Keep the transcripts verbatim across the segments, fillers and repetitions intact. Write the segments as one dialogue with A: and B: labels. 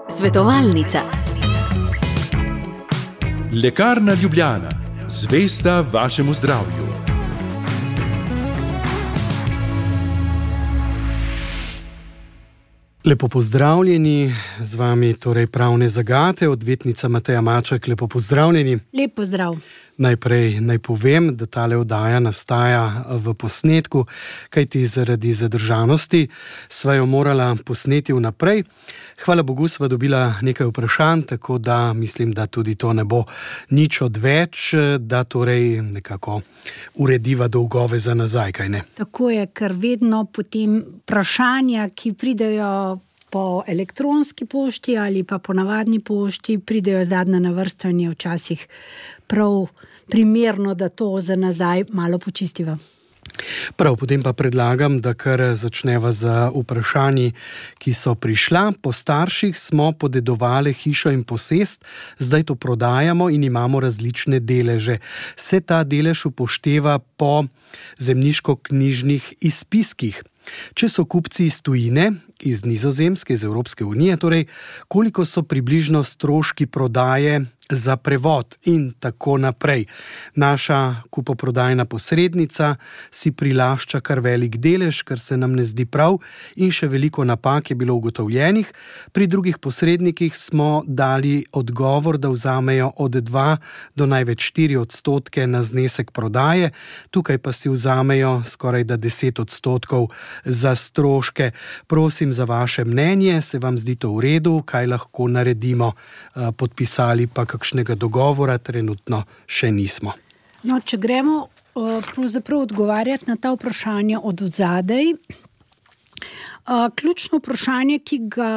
A: Svetovalnica.
B: Lekarna Ljubljana, zvesta vašemu zdravju.
C: Lepo pozdravljeni, z vami torej Pravne zagate, odvetnica Mateja Maček, lepo pozdravljeni.
D: Lep pozdrav.
C: Najprej naj povem, da tale oddaja nastaja v posnetku, kajti zaradi zadržanosti sva jo morala posneti vnaprej. Hvala Bogu sva dobila nekaj vprašanj, tako da mislim, da tudi to ne bo nič odveč, da torej nekako urediva dolgove za nazaj, kaj ne?
D: Tako je, ker vedno potem vprašanja, ki pridejo po elektronski pošti ali pa po navadni pošti, pridejo zadnja na vrsto in je včasih prav primerno, da to za nazaj malo počistiva.
C: Prav, potem pa predlagam, da kar začneva z vprašanji, ki so prišla. Po starših smo podedovali hišo in posest, zdaj to prodajamo in imamo različne deleže. Se ta delež upošteva po zemljiško-knjižnih izpiskih? Če so kupci iz tujine, iz Nizozemske, iz Evropske unije, torej koliko so približno stroški prodaje za prevod in tako naprej. Naša kupoprodajna posrednica si prilašča kar velik delež, kar se nam ne zdi prav, in še veliko napak je bilo ugotovljenih. Pri drugih posrednikih smo dali odgovor, da vzamejo od dva do največ štiri odstotke na znesek prodaje, tukaj pa si vzamejo skoraj da deset odstotkov za stroške. Prosim za vaše mnenje, se vam zdi to v redu, kaj lahko naredimo, podpisali pa kakšnega dogovora trenutno še nismo.
D: No, če gremo pravzaprav odgovarjati na ta vprašanja od odzadej, ključno vprašanje, ki ga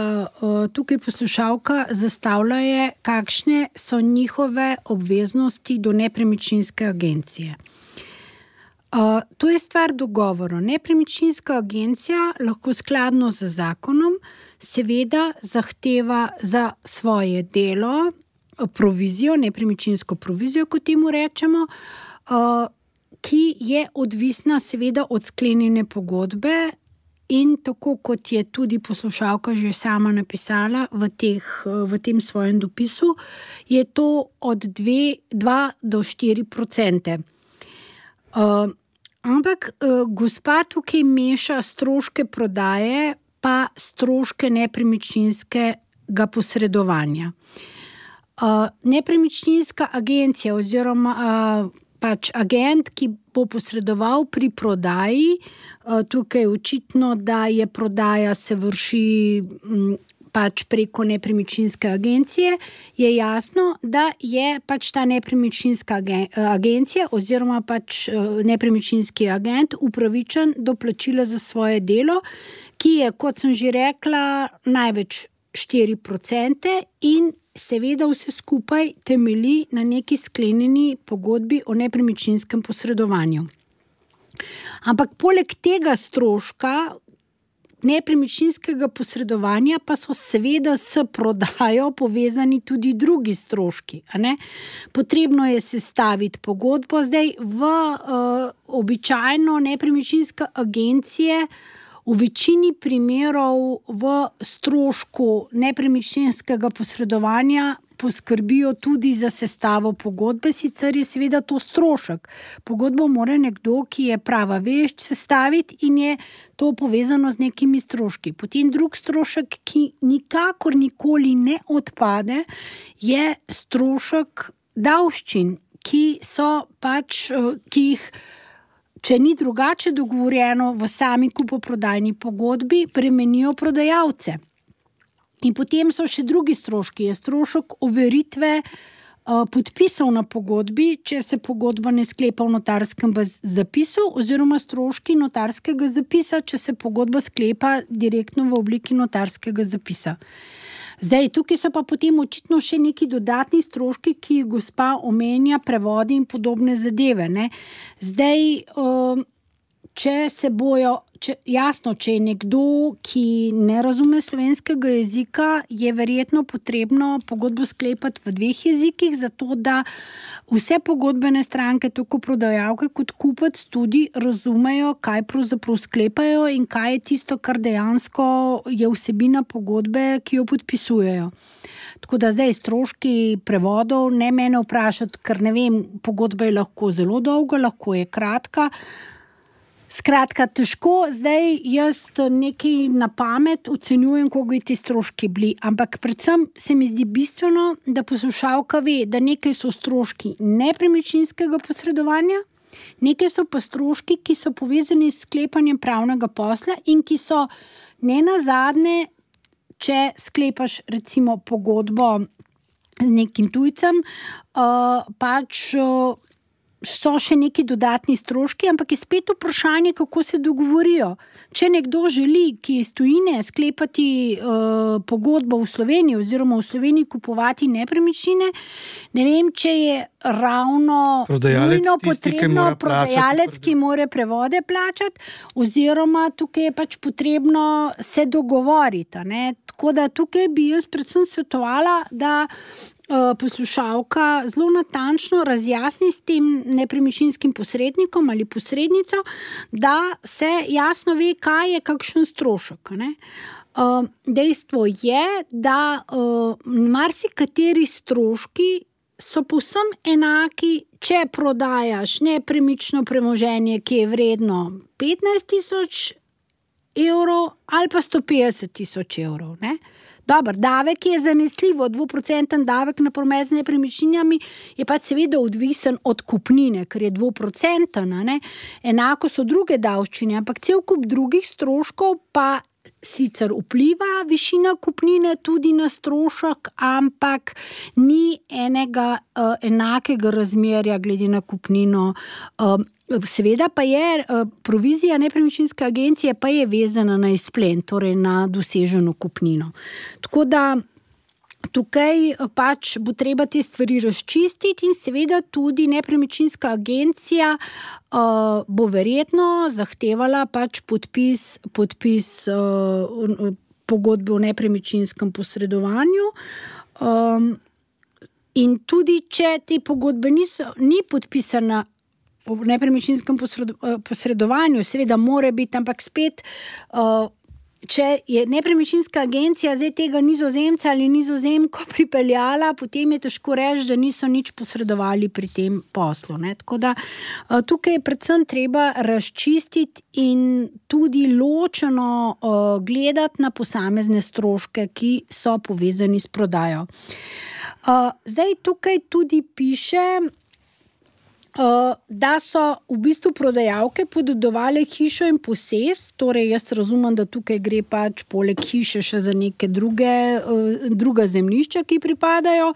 D: tukaj poslušalka zastavlja, je, kakšne so njihove obveznosti do nepremičninske agencije. Uh, to je stvar dogovora. Nepremičninska agencija lahko skladno z zakonom seveda zahteva za svoje delo provizijo, nepremičninsko provizijo, kot temu rečemo, uh, ki je odvisna seveda od sklenjene pogodbe in tako kot je tudi poslušalka že sama napisala v, teh, v tem svojem dopisu, je to od dva do štiri procente. Uh, ampak uh, gospa tukaj meša stroške prodaje pa stroške nepremičninskega posredovanja. Uh, nepremičninska agencija oziroma uh, pač agent, ki bo posredoval pri prodaji, uh, tukaj je očitno, da je prodaja se vrši um, pač preko nepremičninske agencije, je jasno, da je pač ta nepremičninska agencija oziroma pač nepremičninski agent upravičen do plačila za svoje delo, ki je, kot sem že rekla, največ štiri procente in seveda vse skupaj temelji na neki sklenjeni pogodbi o nepremičninskem posredovanju. Ampak poleg tega stroška nepremičninskega posredovanja pa so seveda s prodajo povezani tudi drugi stroški. A ne? Potrebno je sestaviti pogodbo. Zdaj v uh, običajno nepremičninske agencije v večini primerov v strošku nepremičninskega posredovanja poskrbijo tudi za sestavo pogodbe, sicer je seveda to strošek. Pogodbo mora nekdo, ki je prava vešč, sestaviti in je to povezano z nekimi stroški. Potem drug strošek, ki nikakor nikoli ne odpade, je strošek davščin, ki so pač, ki jih, če ni drugače dogovorjeno v sami kupoprodajni pogodbi, bremenijo prodajalce. In potem so še drugi stroški, je strošek overitve uh, podpisov na pogodbi, če se pogodba ne sklepa v notarskem zapisu, oziroma stroški notarskega zapisa, če se pogodba sklepa direktno v obliki notarskega zapisa. Zdaj, tukaj so pa potem očitno še neki dodatni stroški, ki jih gospa omenja, prevodi in podobne zadeve. Ne? Zdaj, uh, če se bojo če, jasno, če je nekdo, ki ne razume slovenskega jezika, je verjetno potrebno pogodbo sklepati v dveh jezikih, zato da vse pogodbene stranke, tako prodajalke kot kupec, tudi razumejo, kaj pravzaprav sklepajo in kaj je tisto, kar dejansko je vsebina pogodbe, ki jo podpisujejo. Tako da zdaj stroški prevodov ne mene vprašati, ker ne vem, pogodba je lahko zelo dolga, lahko je kratka. Skratka, težko zdaj jaz nekaj na pamet ocenjujem, koliko bi ti stroški bili, ampak predvsem se mi zdi bistveno, da poslušalka ve, da nekaj so stroški nepremičninskega posredovanja, nekaj so pa stroški, ki so povezani s sklepanjem pravnega posla in ki so nenazadnje, če sklepaš recimo pogodbo z nekim tujcem, uh, pač uh, so še neki dodatni stroški, ampak je spet vprašanje, kako se dogovorijo. Če nekdo želi, ki iz tujine, sklepati uh, pogodbo v Sloveniji oziroma v Sloveniji kupovati nepremičnine, ne vem, če je ravno nujno potrebno prodajalec, ki mora prevode plačati, oziroma tukaj je pač potrebno se dogovoriti. Ne? Tako da tukaj bi jaz predvsem svetovala, da poslušalka zelo natančno razjasni s tem nepremičninskim posrednikom ali posrednico, da se jasno ve, kaj je kakšen strošek. Ne? Dejstvo je, da marsikateri stroški so povsem enaki, če prodajaš nepremično premoženje, ki je vredno petnajst tisoč evrov ali pa sto petdeset tisoč evrov. Ne? Dobar, davek je zanesljivo, dvoprocenten davek na promet z nepremičninami je pa seveda odvisen od kupnine, ker je dvoprocenten, ne? Enako so druge davščine, ampak cel kup drugih stroškov pa sicer vpliva višina kupnine tudi na strošek, ampak ni enega uh, enakega razmerja glede na kupnino. Uh, Seveda pa je provizija nepremičninske agencije pa je vezana na izplen, torej na doseženo kupnino. Tako da tukaj pač bo treba te stvari razčistiti in seveda tudi nepremičninska agencija uh, bo verjetno zahtevala pač podpis, podpis uh, pogodbe o nepremičninskem posredovanju. Um, in tudi če te pogodbe niso, ni podpisana v nepremičninskem posredovanju, seveda mora biti, ampak spet, če je nepremičninska agencija zdaj tega Nizozemca ali Nizozemko pripeljala, potem je težko reči, da niso nič posredovali pri tem poslu. Ne? Tako da tukaj je predvsem treba razčistiti in tudi ločeno gledati na posamezne stroške, ki so povezani s prodajo. Zdaj tukaj tudi piše, da so v bistvu prodajalke podedovale hišo in posest, torej jaz razumem, da tukaj gre pač poleg hiše še za neke druge, druga zemljišča, ki pripadajo,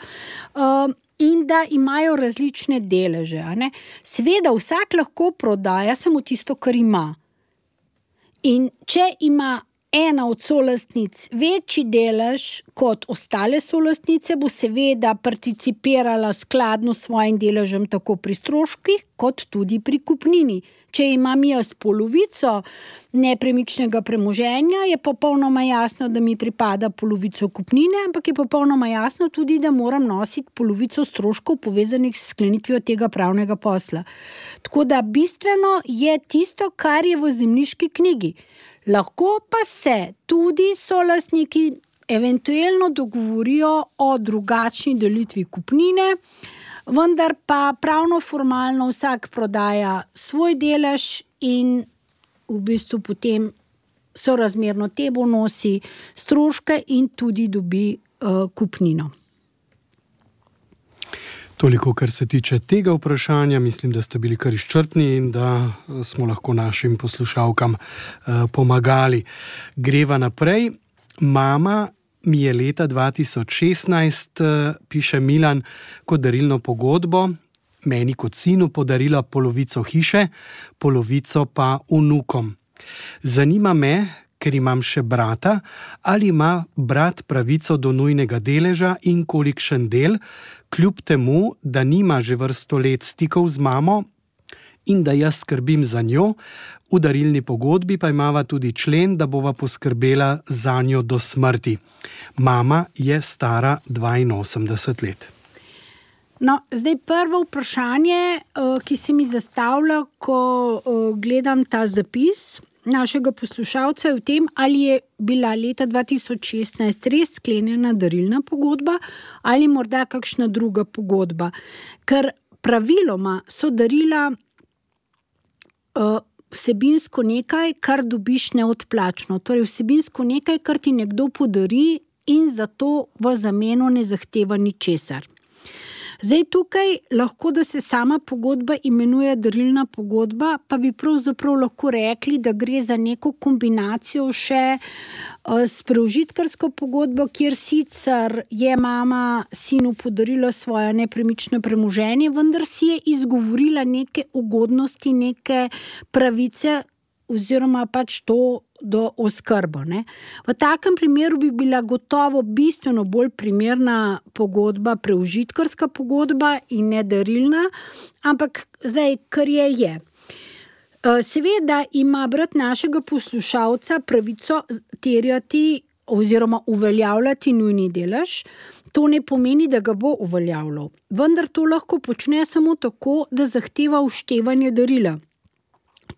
D: in da imajo različne deleže. Ne? Seveda vsak lahko prodaja samo tisto, kar ima. In če ima ena od solastnic večji delež kot ostale solastnice, bo seveda participirala skladno s svojim deležem tako pri stroških, kot tudi pri kupnini. Če imam jaz polovico nepremičnega premoženja, je popolnoma jasno, da mi pripada polovico kupnine, ampak je popolnoma jasno tudi, da moram nositi polovico stroškov povezanih s sklenitvijo tega pravnega posla. Tako da bistveno je tisto, kar je v zemljiški knjigi. Lahko pa se tudi solastniki eventualno dogovorijo o drugačni delitvi kupnine, vendar pa pravno formalno vsak prodaja svoj delež in v bistvu potem sorazmerno temu nosi stroške in tudi dobi uh, kupnino.
C: Toliko, kar se tiče tega vprašanja, mislim, da ste bili kar izčrpni in da smo lahko našim poslušalkam uh, pomagali. Greva naprej. Mama mi je leta dva tisoč šestnajst, uh, piše Milan, kot darilno pogodbo, meni kot sinu podarila polovico hiše, polovico pa vnukom. Zanima me, ker imam še brata, ali ima brat pravico do nujnega deleža in kolikšen del, kljub temu, da nima že vrsto let stikov z mamo in da jaz skrbim za njo. V darilni pogodbi pa imava tudi člen, da bova poskrbela za njo do smrti. Mama je stara dvainosemdeset let.
D: No, zdaj prvo vprašanje, ki se mi zastavlja, ko gledam ta zapis našega poslušalca, je v tem, ali je bila leta dva tisoč šestnajst res sklenjena darilna pogodba ali morda kakšna druga pogodba. Ker praviloma so darila uh, vsebinsko nekaj, kar dobiš neodplačno. Torej vsebinsko nekaj, kar ti nekdo podari in zato v zameno ne zahteva ničesar. Zdaj tukaj lahko, da se sama pogodba imenuje darilna pogodba, pa bi pravzaprav lahko rekli, da gre za neko kombinacijo še s preužitkarsko pogodbo, kjer sicer je mama sinu podarila svoje nepremično premoženje, vendar si je izgovorila neke ugodnosti, neke pravice oziroma pač to do oskrbo. Ne? V takem primeru bi bila gotovo bistveno bolj primerna pogodba, preužitkarska pogodba in ne darilna, ampak zdaj, kar je, je. Seveda ima brat našega poslušalca pravico terjati oziroma uveljavljati nujni delež. To ne pomeni, da ga bo uveljavljal. Vendar to lahko počne samo tako, da zahteva uštevanje darila.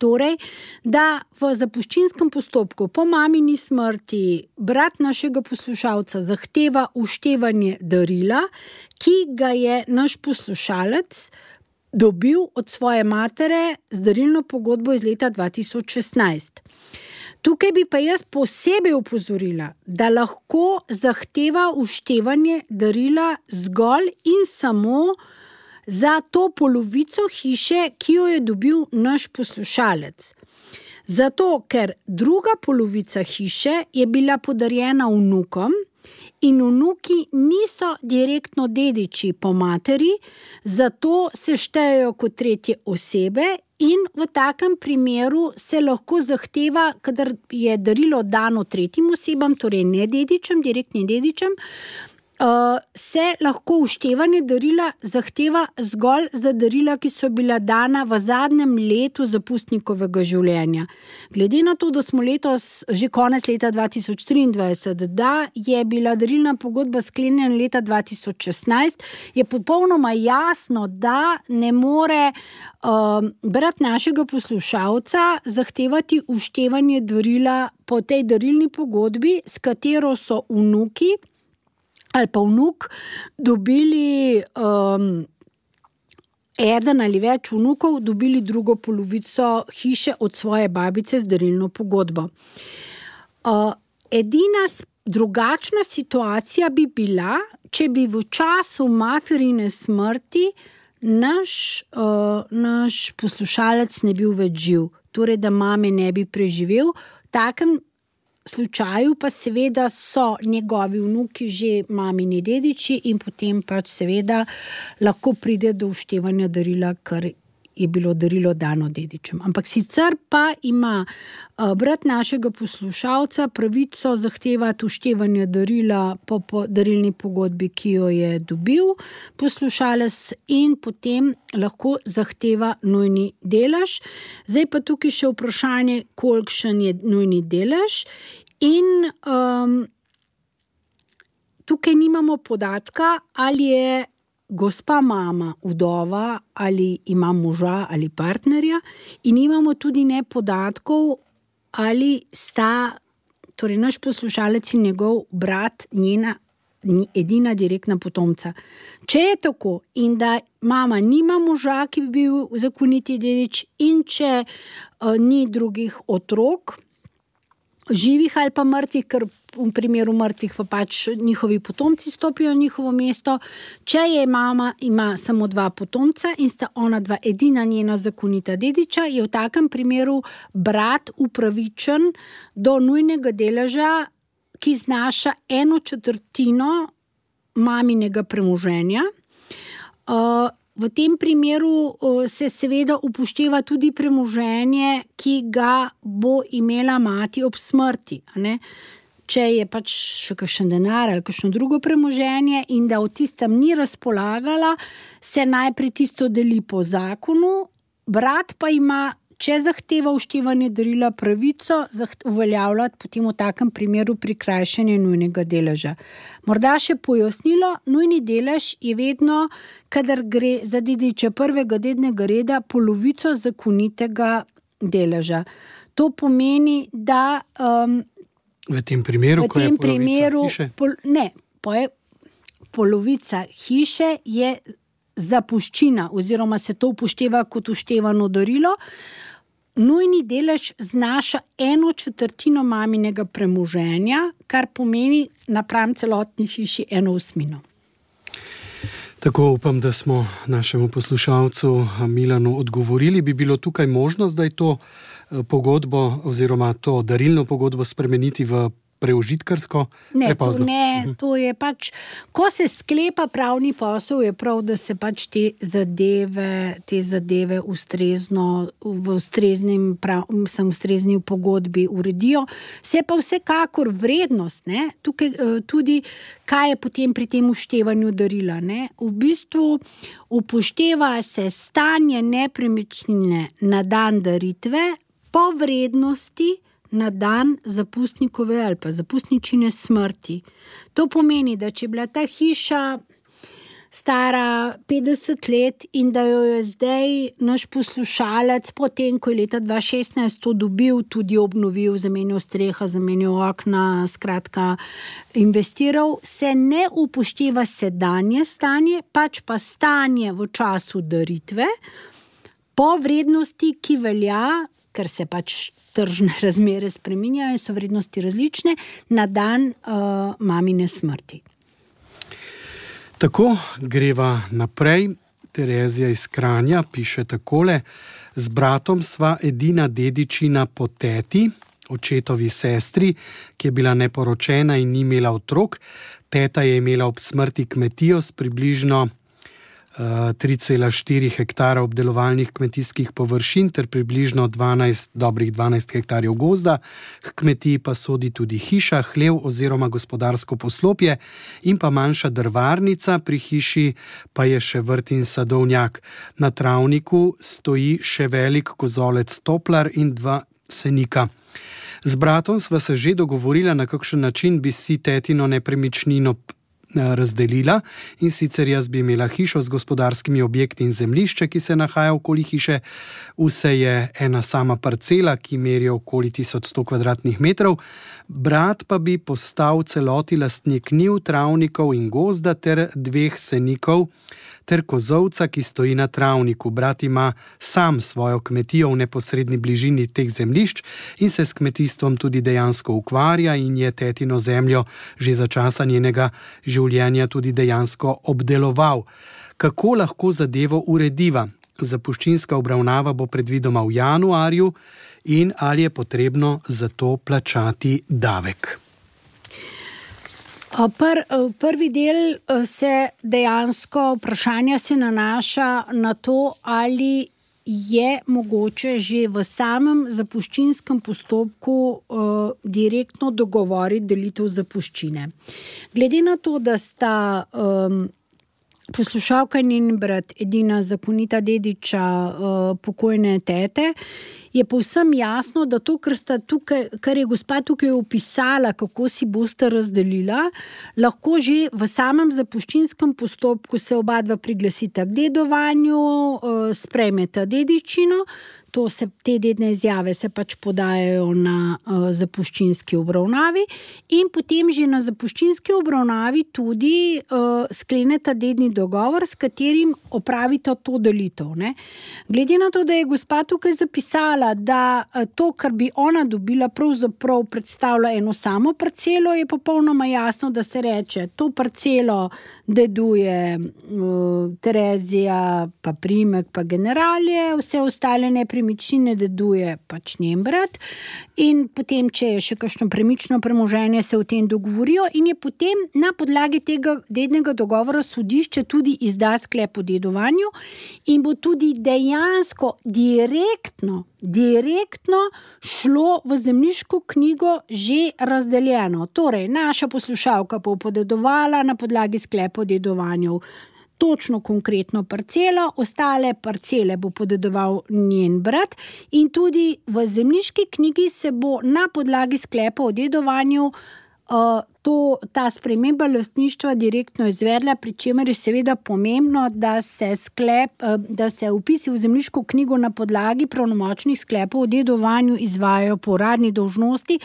D: Torej, da v zapuščinskem postopku po mamini smrti brat našega poslušalca zahteva uštevanje darila, ki ga je naš poslušalec dobil od svoje matere z darilno pogodbo iz leta dva tisoč šestnajst. Tukaj bi pa jaz posebej opozorila, da lahko zahteva uštevanje darila zgolj in samo za to polovico hiše, ki jo je dobil naš poslušalec. Zato, ker druga polovica hiše je bila podarjena vnukom in vnuki niso direktno dediči po materi, zato se štejejo kot tretje osebe in v takem primeru se lahko zahteva, kadar je darilo dano tretjim osebam, torej ne dedičem, direktnim dedičem, Uh, se lahko uštevanje darila zahteva zgolj za darila, ki so bila dana v zadnjem letu zapustnikovega življenja. Glede na to, da smo letos že konec leta dva tisoč triindvajset, da je bila darilna pogodba sklenjena leta dva tisoč šestnajst, je popolnoma jasno, da ne more uh, brat našega poslušalca zahtevati uštevanje darila po tej darilni pogodbi, s katero so vnuki ali pa vnuk dobili um, eden ali več vnukov, dobili drugo polovico hiše od svoje babice z darilno pogodbo. Uh, edina drugačna situacija bi bila, če bi v času materine smrti naš, uh, naš poslušalec ne bil več živ, torej da mame ne bi preživel. V takem slučaju pa seveda so njegovi vnuki že mamini dediči in potem pač seveda lahko pride do uštevanja darila, ker je bilo darilo dano dedičem. Ampak sicer pa ima brat našega poslušalca pravico zahtevati uštevanje darila po, po darilni pogodbi, ki jo je dobil poslušalec, in potem lahko zahteva nujni delež. Zdaj pa tukaj še vprašanje, kolikšen je nujni delež. In um, tukaj nimamo podatka, ali je gospa mama vdova, ali ima moža ali partnerja, in imamo tudi ne podatkov, ali sta, torej naš poslušalec in njegov brat, njena edina direktna potomca. Če je tako in da mama nima moža, ki bi bil zakoniti dedič, in če uh, ni drugih otrok, živih ali pa mrtvih, ker v primeru mrtvih pa pač njihovi potomci stopijo na njihovo mesto. Če je mama ima samo dva potomca in sta ona dva edina njena zakonita dediča, je v takem primeru brat upravičen do nujnega deleža, ki znaša eno četrtino maminega premoženja. Uh, V tem primeru se seveda upošteva tudi premoženje, ki ga bo imela mati ob smrti. Ne? Če je pač še kakšen denar ali kakšno drugo premoženje in da o tistem ni razpolagala, se najprej tisto deli po zakonu brat pa ima, če zahteva vštevanje darila, pravico uveljavljati potem v takem primeru prikrajšanje nujnega deleža. Morda še pojasnilo, nujni delež je vedno, kadar gre za dediča prvega dednega reda, polovico zakonitega deleža. To pomeni, da um,
C: v tem primeru,
D: v
C: ko
D: tem
C: je polovica
D: primeru,
C: hiše?
D: Pol, ne, poje, polovica hiše je zapuščina oziroma se to upošteva kot uštevano darilo. Nujni delež znaša eno četrtino maminega premoženja, kar pomeni napram celotni hiši eno osmino.
C: Tako upam, da smo našemu poslušalcu Milanu odgovorili. Bi bilo tukaj možno zdaj to pogodbo oziroma to darilno pogodbo spremeniti v preužitkarsko?
D: Ne, to ne, to je pač, ko se sklepa pravni posel, je prav, da se pač te zadeve, te zadeve ustrezno, v ustreznim, prav, sem ustrezni v pogodbi uredijo. Se pa vsekakor vrednost, ne, tukaj tudi, kaj je potem pri tem uštevanju darila, ne. V bistvu upošteva se stanje nepremičnine na dan daritve po vrednosti na dan zapustnikove ali pa zapustničine smrti. To pomeni, da če je bila ta hiša stara petdeset let in da jo je zdaj naš poslušalec, potem, ko je leta dva tisoč šestnajst to dobil, tudi obnovil, zamenjal streha, zamenjal okna, skratka investiral, se ne upošteva sedanje stanje, pač pa stanje v času daritve, po vrednosti, ki velja, ker se pač tržne razmere spreminjajo in so vrednosti različne, na dan uh, mamine smrti.
C: Tako greva naprej. Terezija iz Kranja piše takole: z bratom sva edina dedičina po teti, očetovi sestri, ki je bila neporočena in ni imela otrok. Teta je imela ob smrti kmetijo s približno tri cela štiri hektara obdelovalnih kmetijskih površin ter približno dvanajst, dobrih dvanajst hektarjev gozda. K kmetiji pa sodi tudi hiša, hlev oziroma gospodarsko poslopje in pa manjša drvarnica, pri hiši pa je še vrt in sadovnjak. Na travniku stoji še velik kozolec toplar in dva senika. Z bratom sva se že dogovorila, na kakšen način bi si tetino nepremičnino razdelila, in sicer jaz bi imela hišo z gospodarskimi objekti in zemljišče, ki se nahaja okoli hiše. Vse je ena sama parcela, ki meri okoli tisoč sto kvadratnih metrov. Brat pa bi postal celoti lastnik njiv, travnikov in gozda ter dveh senikov ter kozovca, ki stoji na travniku. Brat ima sam svojo kmetijo v neposredni bližini teh zemljišč in se s kmetijstvom tudi dejansko ukvarja in je tetino zemljo že za časa njenega življenja tudi dejansko obdeloval. Kako lahko zadevo urediva? Zapuščinska obravnava bo predvidoma v januarju in ali je potrebno za to plačati davek?
D: Pr, prvi del se dejansko, vprašanja se nanaša na to, ali je mogoče že v samem zapuščinskem postopku uh, direktno dogovoriti delitev zapuščine. Glede na to, da sta um, poslušalka in njen brat edina zakonita dediča uh, pokojne tete, je povsem jasno, da to, kar, sta tukaj, kar je gospa tukaj opisala, kako si boste razdelila, lahko že v samem zapuščinskem postopku se oba dva priglasita k dedovanju, sprejmeta dedičino. To se, te dedne izjave se pač podajajo na uh, zapuščinski obravnavi in potem že na zapuščinski obravnavi tudi uh, skleneta dedni dogovor, s katerim opravita to delitev. Ne? Glede na to, da je gospa tukaj zapisala, da uh, to, kar bi ona dobila, pravzaprav predstavlja eno samo parcelo, je popolnoma jasno, da se reče, to parcelo deduje uh, Terezija, pa Primek, pa Generalje, vse ostale nepremičnine deduje pač njen brat in potem, če je še kakšno premično premoženje, se o tem dogovorijo in je potem na podlagi tega dednega dogovora sodišče tudi izda sklep o dedovanju in bo tudi dejansko direktno direktno šlo v zemljiško knjigo že razdeljeno. Torej, naša poslušalka bo podedovala na podlagi sklepa o dedovanju točno konkretno parcelo, ostale parcele bo podedoval njen brat in tudi v zemljiški knjigi se bo na podlagi sklepa o dedovanju uh, to, ta sprememba lastništva direktno izvedla, pri čemer je seveda pomembno, da se, sklep, uh, da se vpisi v zemljiško knjigo na podlagi pravnomočnih sklepov o dedovanju izvajajo po uradni dolžnosti.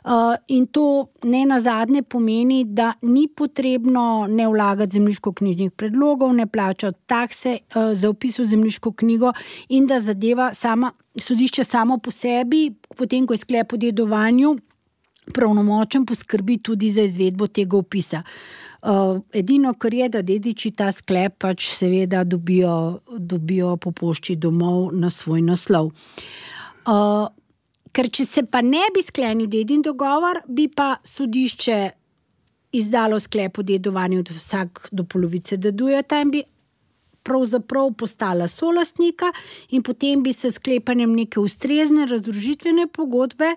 D: Uh, in to ne nazadnje pomeni, da ni potrebno ne vlagati zemljiško-knjižnih predlogov, ne plačati takse uh, za vpis v zemljiško knjigo in da zadeva sama, sodišče samo po sebi, potem ko je sklep o dedovanju pravnomočen, poskrbi tudi za izvedbo tega vpisa. Uh, edino, kar je, da dediči ta sklep pač seveda dobijo, dobijo po pošti domov na svoj naslov. Uh, Ker če se pa ne bi sklenil dedin dogovor, bi pa sodišče izdalo sklep o dedovanju, da vsak do polovice dedujeta in bi pravzaprav postala solastnika in potem bi se sklepanjem neke ustrezne razdružitvene pogodbe,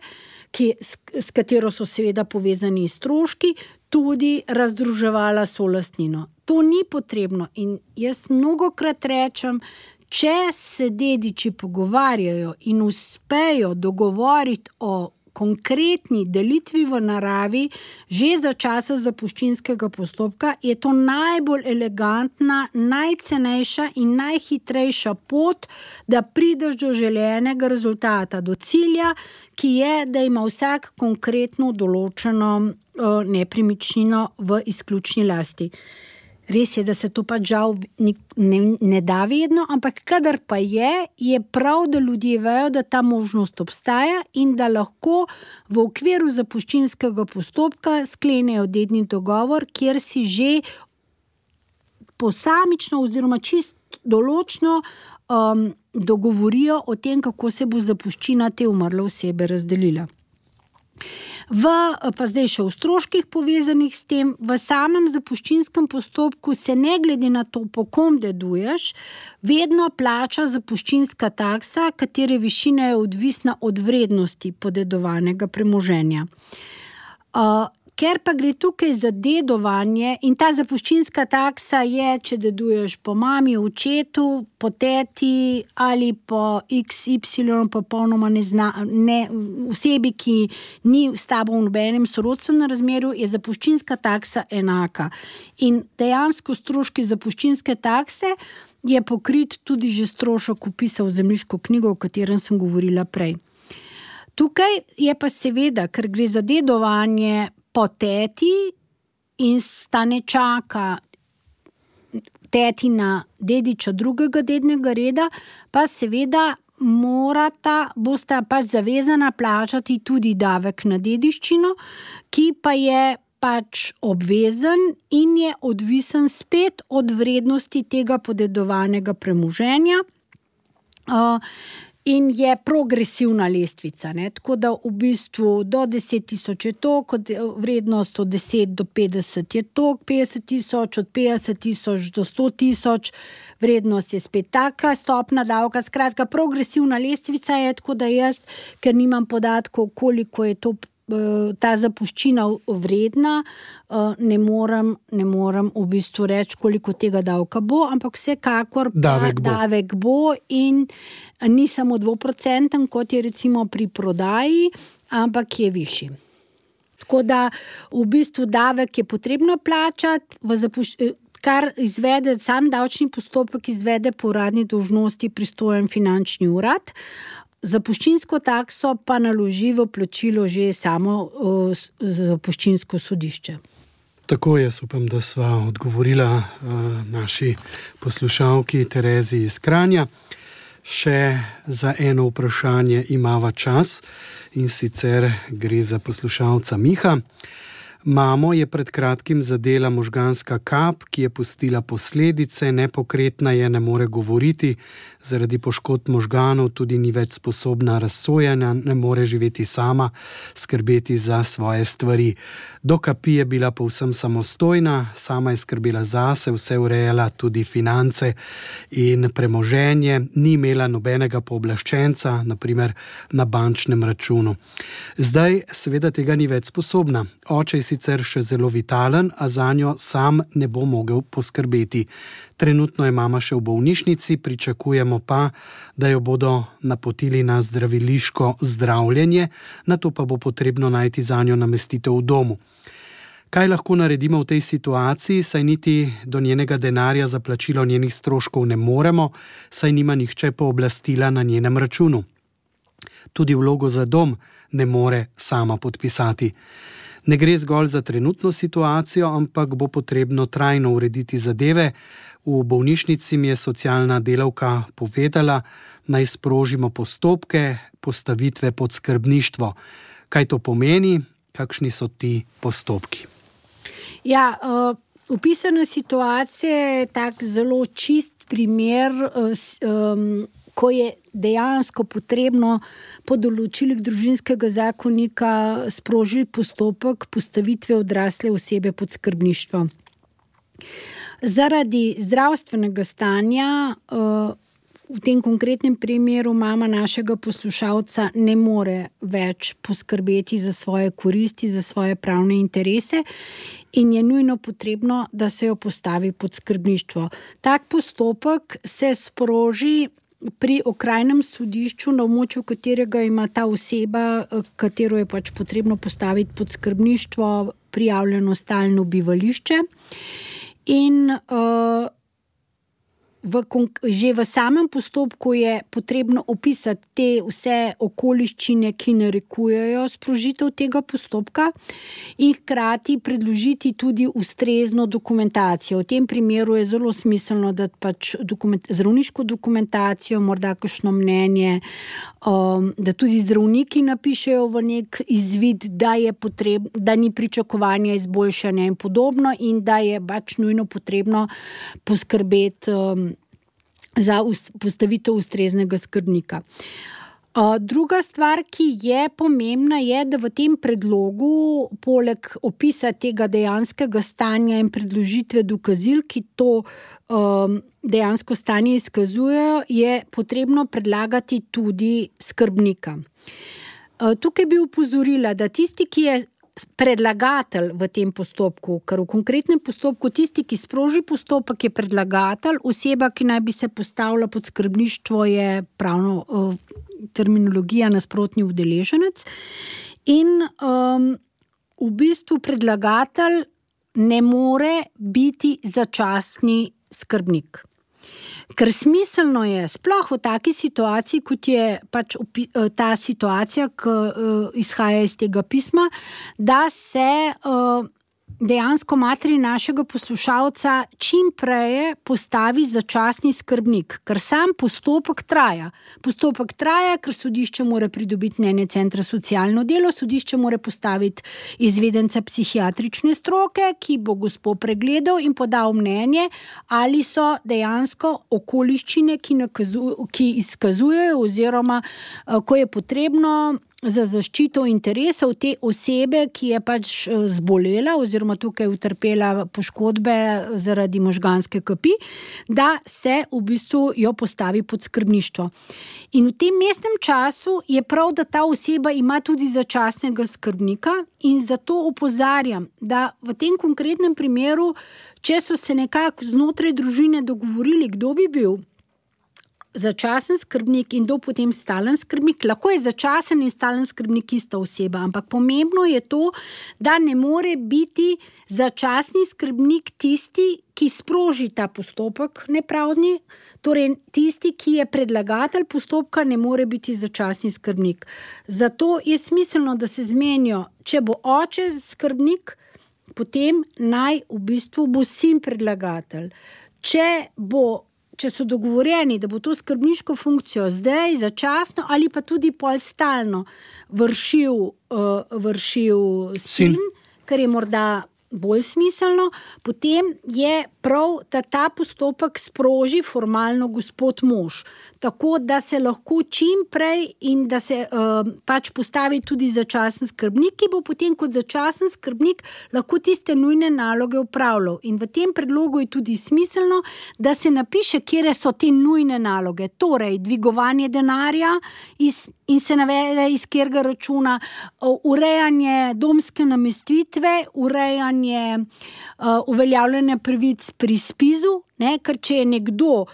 D: ki, s, s katero so seveda povezani stroški, tudi razdruževala solastnino. To ni potrebno in jaz mnogokrat rečem, če se dediči pogovarjajo in uspejo dogovoriti o konkretni delitvi v naravi že za časa zapuščinskega postopka, je to najbolj elegantna, najcenejša in najhitrejša pot, da prideš do želenega rezultata, do cilja, ki je, da ima vsak konkretno določeno uh, nepremičnino v izključni lasti. Res je, da se to pa žal ne, ne da vedno, ampak kadar pa je, je prav, da ljudje vejo, da ta možnost obstaja in da lahko v okviru zapuščinskega postopka sklenejo dedni dogovor, kjer si že posamično oziroma čist določno um, dogovorijo o tem, kako se bo zapuščina te umrle osebe razdelila. V, pa zdaj še v stroških povezanih s tem, v samem zapuščinskem postopku se ne glede na to, po kom deduješ, vedno plača zapuščinska taksa, katere višina je odvisna od vrednosti podedovanega premoženja. Uh, Ker pa gre tukaj za dedovanje in ta zapuščinska taksa je, če deduješ po mami, očetu, po teti ali po iks ipsilon popolnoma nezna, ne, osebi, ki ni s tabo v nobenem sorodstvenem razmerju, je zapuščinska taksa enaka. In dejansko stroški zapuščinske takse je pokrit tudi že strošek vpisa v zemljiško knjigo, o katerem sem govorila prej. Tukaj je pa seveda, ker gre za dedovanje po teti in sta ne čaka tetina dediča drugega dednega reda, pa seveda morata, bosta pač zavezana plačati tudi davek na dediščino, ki pa je pač obvezen in je odvisen spet od vrednosti tega podedovanega premoženja. Uh, In je progresivna lestvica, ne? Tako da v bistvu do deset tisoč je to, kot vrednost od deset do petdeset je to, petdeset tisoč, od petdeset tisoč do sto tisoč, vrednost je spet taka stopna davka. Skratka, progresivna lestvica je, tako da jaz, ker nimam podatkov, koliko je to, ta zapuščina vredna, ne morem, ne morem v bistvu reči, koliko tega davka bo, ampak vsekakor
C: davek bo.
D: davek bo in ni samo dvoprocenten, kot je recimo pri prodaji, ampak je višji. Tako da v bistvu davek je potrebno plačati, v zapuš... kar izvede sam davčni postopek, izvede po uradni dolžnosti pristojen finančni urad. Zapuščinsko takso pa naloži v plačilo že samo uh, zapuščinsko sodišče.
C: Tako, jaz upam, da sva odgovorila uh, naši poslušalki Terezi iz Kranja. Še za eno vprašanje imava čas in sicer gre za poslušalca Miha. Mamo je pred kratkim zadela možganska kap, ki je pustila posledice, nepokretna je, ne more govoriti, zaradi poškodb možganov tudi ni več sposobna razsojanja, ne more živeti sama, skrbeti za svoje stvari. Do kapi je bila povsem samostojna, sama je skrbela zase, vse urejala, tudi finance in premoženje, ni imela nobenega pooblaščenca, naprimer na bančnem računu. Zdaj seveda tega ni več sposobna. Oče je sicer še zelo vitalen, a zanjo sam ne bo mogel poskrbeti. Trenutno je mama še v bolnišnici, pričakujemo pa, da jo bodo napotili na zdraviliško zdravljenje, nato pa bo potrebno najti zanjo namestitev v domu. Kaj lahko naredimo v tej situaciji, saj niti do njenega denarja za plačilo njenih stroškov ne moremo, saj nima nihče pooblastila na njenem računu. Tudi vlogo za dom ne more sama podpisati. Ne gre zgolj za trenutno situacijo, ampak bo potrebno trajno urediti zadeve. V bolnišnici mi je socialna delavka povedala, naj sprožimo postopke postavitve pod skrbništvo. Kaj to pomeni? Kakšni so ti postopki?
D: Ja, uh, opisana situacija je tak zelo čist primer, uh, um, ko je dejansko potrebno po določilih družinskega zakonika sprožiti postopek postavitve odrasle osebe pod skrbništvo. Zaradi zdravstvenega stanja, uh, v tem konkretnem primeru mama našega poslušalca ne more več poskrbeti za svoje koristi, za svoje pravne interese in je nujno potrebno, da se jo postavi pod skrbništvo. Tak postopek se sproži pri okrajnem sodišču, na območju katerega ima ta oseba, katero je pač potrebno postaviti pod skrbništvo, prijavljeno stalno bivališče. In uh, V, že v samem postopku je potrebno opisati te vse okoliščine, ki narekujejo sprožitev tega postopka in hkrati predložiti tudi ustrezno dokumentacijo. V tem primeru je zelo smiselno, da pač dokument, zdravniško dokumentacijo, morda kakšno mnenje, um, da tudi zdravniki napišejo v nek izvid, da je potreb, da ni pričakovanja izboljšanja in podobno in da je pač nujno potrebno poskrbeti um, za postavitev ustreznega skrbnika. Druga stvar, ki je pomembna, je, da v tem predlogu poleg opisa tega dejanskega stanja in predložitve dokazil, ki to um, dejansko stanje izkazujejo, je potrebno predlagati tudi skrbnika. Tukaj bi upozorila, da tisti, ki je predlagatelj v tem postopku, ker v konkretnem postopku tisti, ki sproži postopek, je predlagatelj, oseba, ki naj bi se postavila pod skrbništvo, je pravno uh, terminologija nasprotni udeleženec in um, v bistvu predlagatelj ne more biti začasni skrbnik. Ker smiselno je, sploh v taki situaciji, kot je pač ta situacija, ki izhaja iz tega pisma, da se dejansko materi našega poslušalca čim prej postavi začasni skrbnik, ker sam postopek traja. Postopek traja, ker sodišče mora pridobiti mnenje centra socialno delo, sodišče mora postaviti izvedenca psihiatrične stroke, ki bo gospo pregledal in podal mnenje, ali so dejansko okoliščine, ki, nakazuj, ki izkazujejo oziroma ko je potrebno za zaščito interesov te osebe, ki je pač zbolela oziroma tukaj utrpela poškodbe zaradi možganske kapi, da se v bistvu jo postavi pod skrbništvo. In v tem mestnem času je prav, da ta oseba ima tudi začasnega skrbnika in zato opozarjam, da v tem konkretnem primeru, če so se nekako znotraj družine dogovorili, kdo bi bil začasen skrbnik in do potem stalen skrbnik, lahko je začasen in stalen skrbnik ista oseba, ampak pomembno je to, da ne more biti začasni skrbnik tisti, ki sproži ta postopek nepravdni, torej tisti, ki je predlagatelj postopka, ne more biti začasni skrbnik. Zato je smiselno, da se zmenijo, če bo oče skrbnik, potem naj v bistvu bo sin predlagatelj. Če bo Če so dogovorjeni, da bo to skrbniško funkcijo zdaj začasno ali pa tudi pol stalno vršil, uh, vršil sin, sin, ker je morda bolj smiselno, potem je prav, da ta postopek sproži formalno gospod mož, tako da se lahko čim prej in da se uh, pač postavi tudi začasen skrbnik, ki bo potem kot začasen skrbnik lahko tiste nujne naloge upravljal. In v tem predlogu je tudi smiselno, da se napiše, kje so te nujne naloge, torej dvigovanje denarja iz, in se navede iz katerega računa, uh, urejanje domske namestitve, urejanje uh, uveljavljanja pravic pri spizu, ne, ker če je nekdo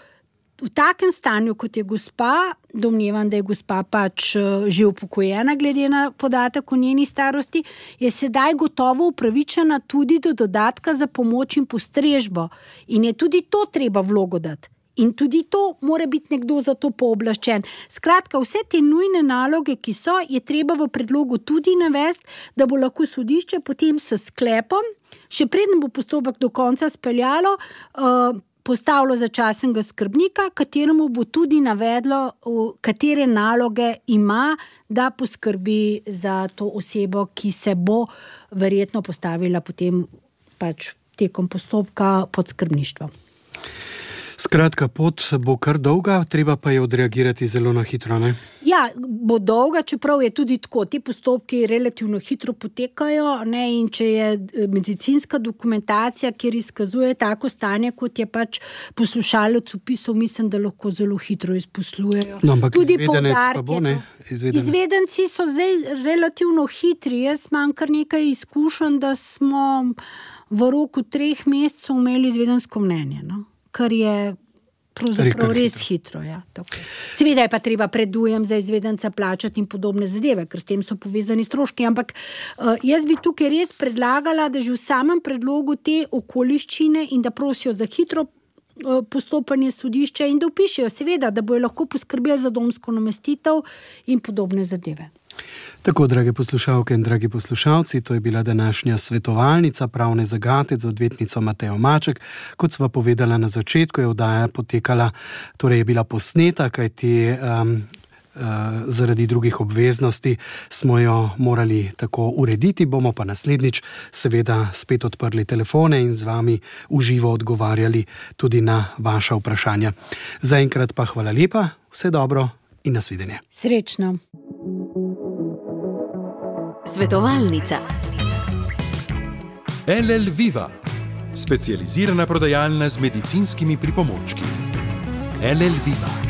D: v takem stanju, kot je gospa, domnevam, da je gospa pač že upokojena, glede na podatek o njeni starosti, je sedaj gotovo upravičena tudi do dodatka za pomoč in postrežbo. In je tudi to treba vlogo dati. In tudi to mora biti nekdo za to pooblaščen. Skratka, vse te nujne naloge, ki so, je treba v predlogu tudi navesti, da bo lahko sodišče potem s sklepom, še preden bo postopek do konca speljalo, uh, postavilo začasnega skrbnika, kateremu bo tudi navedlo, katere naloge ima, da poskrbi za to osebo, ki se bo verjetno postavila potem pač tekom postopka pod skrbništvo.
C: Skratka, pot bo kar dolga, treba pa je odreagirati zelo na hitro, ne?
D: Ja, bo dolga, čeprav je tudi tako. Ti postopki relativno hitro potekajo, ne, in če je medicinska dokumentacija, kjer izkazuje tako stanje, kot je pač poslušalec opisal, mislim, da lahko zelo hitro izposlujejo.
C: No, ampak
D: tudi
C: izvedenec pa bo, ne? Izvedenec.
D: Izvedenci so zdaj relativno hitri. Jaz imam kar nekaj izkušenj, da smo v roku treh mesecev imeli izvedensko mnenje, no? Kar je pravzaprav res hitro. hitro ja, Seveda je pa treba predujem za izvedenca plačati in podobne zadeve, ker s tem so povezani stroški, ampak uh, jaz bi tukaj res predlagala, da že v samem predlogu te okoliščine in da prosijo za hitro uh, postopanje sodišča in da vpišejo, seveda, da bojo lahko poskrbeli za domsko namestitev in podobne zadeve.
C: Tako, drage poslušalke in dragi poslušalci, to je bila današnja svetovalnica pravne zagate z odvetnico Matejo Maček. Kot sva povedala na začetku, je oddaja potekala, torej je bila posneta, kajti um, uh, zaradi drugih obveznosti smo jo morali tako urediti, bomo pa naslednjič seveda spet odprli telefone in z vami v živo odgovarjali tudi na vaša vprašanja. Zaenkrat pa hvala lepa, vse dobro in nasvidenje.
D: Srečno.
A: Svetovalnica.
B: L L Viva, specializirana prodajalna z medicinskimi pripomočki. L L Viva.